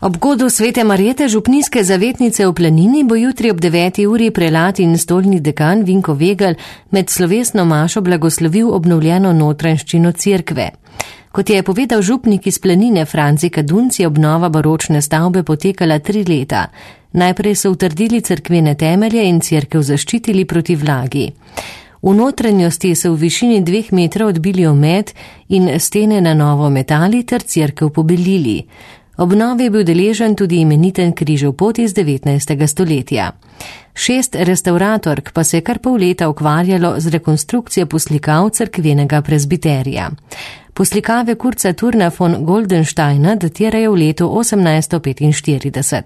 Ob godu Svete Marjete, župnijske zavetnice v Planini, bo jutri ob 9. uri prelat in stolni dekan Vinko Vegel med slovesno mašo blagoslovil obnovljeno notranjščino cerkve. Kot je povedal župnik iz Planine Franci Kadunc, je obnova baročne stavbe potekala 3 leta. Najprej so utrdili cerkvene temelje in cerkev zaščitili proti vlagi. V notranjosti so v višini 2 metrov odbili omet in stene na novo metali ter cerkev pobelili. Obnovi je bil deležen tudi imeniten križev pot iz 19. stoletja. 6 restavratork pa se je kar pol leta ukvarjalo z rekonstrukcijo poslikav cerkvenega prezbiterija. Poslikave Kurca Turna von Goldensteina datirajo v letu 1845.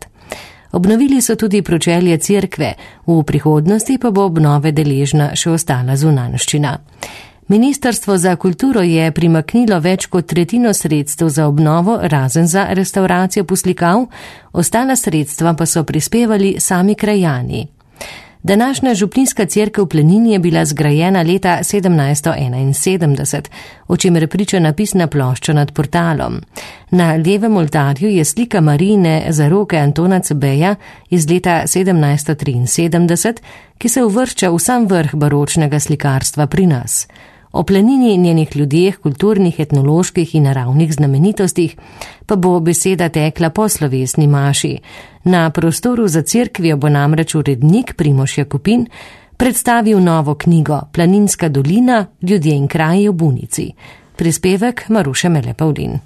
Obnovili so tudi pročelje cerkve, v prihodnosti pa bo obnove deležna še ostala zunanjščina. Ministrstvo za kulturo je primaknilo več kot tretjino sredstev za obnovo, razen za restavracijo poslikav, ostala sredstva pa so prispevali sami krajani. Današnja župnijska cerkev v Planini je bila zgrajena leta 1771, o čemer priča napisna plošča nad portalom. Na levem oltarju je slika Marijine zaroke Antona Cebeja iz leta 1773, ki se uvršča v sam vrh baročnega slikarstva pri nas. O Planini, njenih ljudeh, kulturnih, etnoloških in naravnih znamenitostih pa bo beseda tekla po slovesni maši. Na prostoru za cerkvijo bo namreč urednik Primož Jakopin predstavil novo knjigo Planinska dolina, ljudje in kraji v Bunici. Prispevek Maruše Mele Pavlin.